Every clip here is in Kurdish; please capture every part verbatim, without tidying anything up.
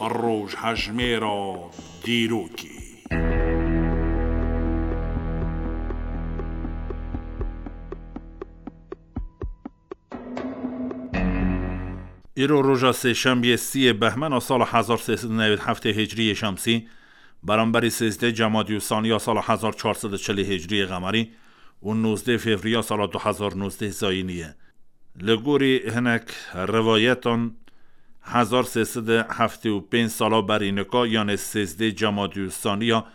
Rojhejmêra dîrokê. Îro roja sêşembiyê siyê behmena sala hezar sê sed û newêd heftê hicriyê şemsî, beramberî sêzdeh cemadî û saniya sala hezar çar sed û çilî hicriyê qemerî û nozdeh fevriya sala du hezar nozdeh zayînî ye. Li gorî hinek rivayetan, hezar sê sed û heftê û pênc sala berî nika, yanê sêzdeh cemadî û saniya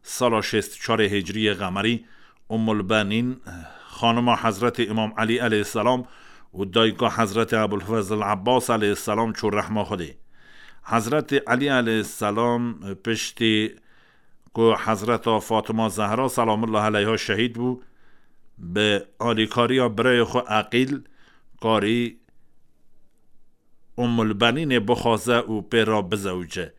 sala şêst û çarê hicriyê qemerî, Ummul Benîn, xanima Hezretê Îmam Elî aleyhisselam û dayika Hezretê Ebul Fezl Ebbas aleyhisselam çû rehma Xwedê. Hezretê Elî aleyhisselam piştî ku Hezreta Fatima Zehra selamullah aleyha şehîd bû, bi alîkariya birayê xwe Eqîl karî Ummul Benînê bixwaze û pê re bizewice.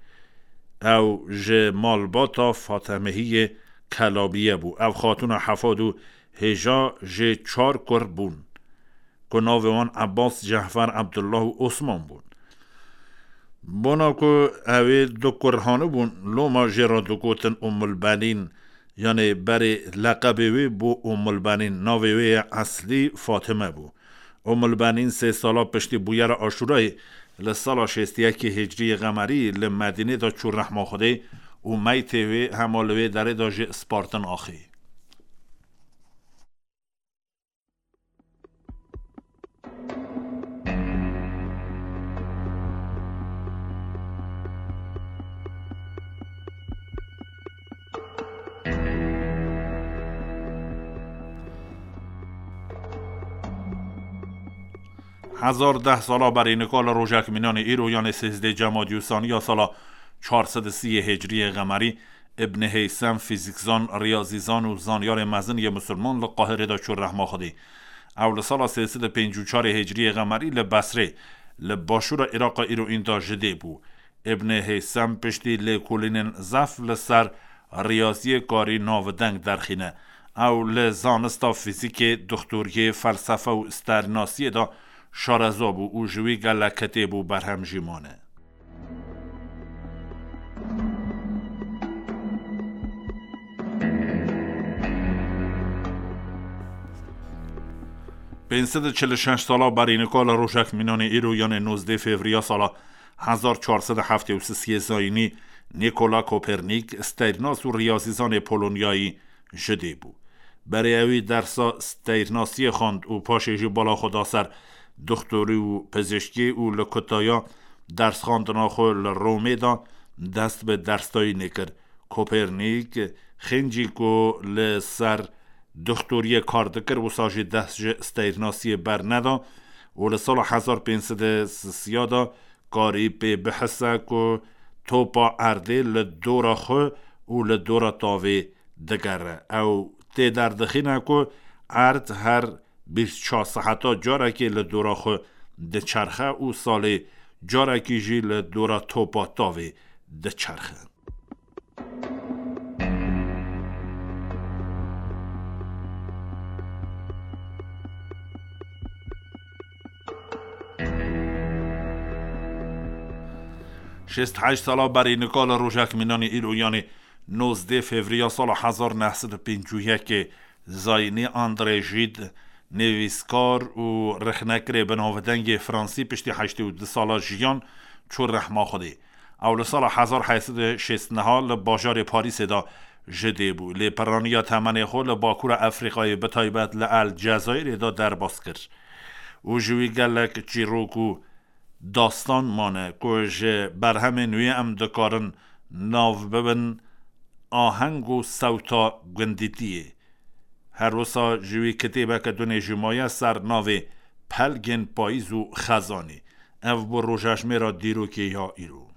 Ew ji malbata Fatemehiyê Kelabiye bû. Ev xatûna hefad û hêja jê çar kur bûn, ku navê wan Ebbas, Cehfer, Ebdullah û Osman bûn. Bona ku ew ê du kur hanibûn, loma jê re digotin Ummul Benîn, yanê berê leqebê wê bû Ummul Benîn, navê wê yê eslî Fatime bû. Ummul Benîn sê sala piştî bûyera Aşûrayê li sala şêst û yekê hicriyê qemerî li Medînê de çû rehma Xwedê û meytê wê hema li wê derê de jê spartin axê. Hezar deh sala berî nika li rojek mînanê îro, yanê sêzdeh cemadî û saniya sala çar sed û sî hicriyê qemerî, Ibn Heysem, fîzîkzan, riyazîzan û zanyarê mezin yê misilman li Qahirê de çû rehma Xwedê. Ew li sala sê sed û pêncî û çarê hicriyê qemerî li Besrê, li başûra Îraqa îro înda ji dê bû. Ibn Heysem piştî lêkolînên zef li ser riyaziyê karî navdeng derxîne. Ew li zanista fîzîkê, dixtoriyê, felsefe û starînasiyê de şareza bû û ji wî gelek kitêb û berhem jî mane. Pênc sed û çil û şeş sala berî nika li rojek mînanê îro, yanê nozdeh fevriya sala hezar çar sed û heftê û sisiyê zayînî, Nîkola Kopernîk, steyrnas û riyazîzanê Polonyayî ji dê bû. Berê ewî dersa steyrnasiyê xwend û paşê jî bala xwe da ser dixtorî û pizîşkî û li kutaya dersxwendina xwe li Romê de dest bi dersdayînê kir. Kopernîk, xêncî ku li ser dixtoriyê kar dikir, wisa jî dest ji steyrnasiyê berneda û li sala hezar pênc sed û sisiya de karî pê bihise ku topa erdê li dora xwe û li dora tavê digere. Ew tê derdixîne ku erd her bîst çar seheta carekê li dora xwe diçerxe û salê carekî jî li dora topa tavê diçerxe. Şêst heşt sala berî nika li rojek mînanî îro, yanî nozdeh fevriya sala hezar neh sed û pêncî û yekê zayînî, André Gide, nivîskar û rexnekirê binavdengê fransî, piştî heştê û du sala jiyan çû rehma Xwedê. Ew li sala hezar heyt sed û şêst neha li bajarê Parîsê de ji dê bû. Lê piraniya temenê xwe li Bakûra Efrîqayê, bi taybet li El Cezayirê de derbas kir û ji wî gelek çîrok û dastan mane ku ji berhemên wî em dikarin nav bibin aheng û sewta gundîtiyê. Her wisa ji wî kitêbeke dunê jî maye ser navê Pelgên Payîz û Xezanê. Ev bû rojejmêra dîrokê ya îro.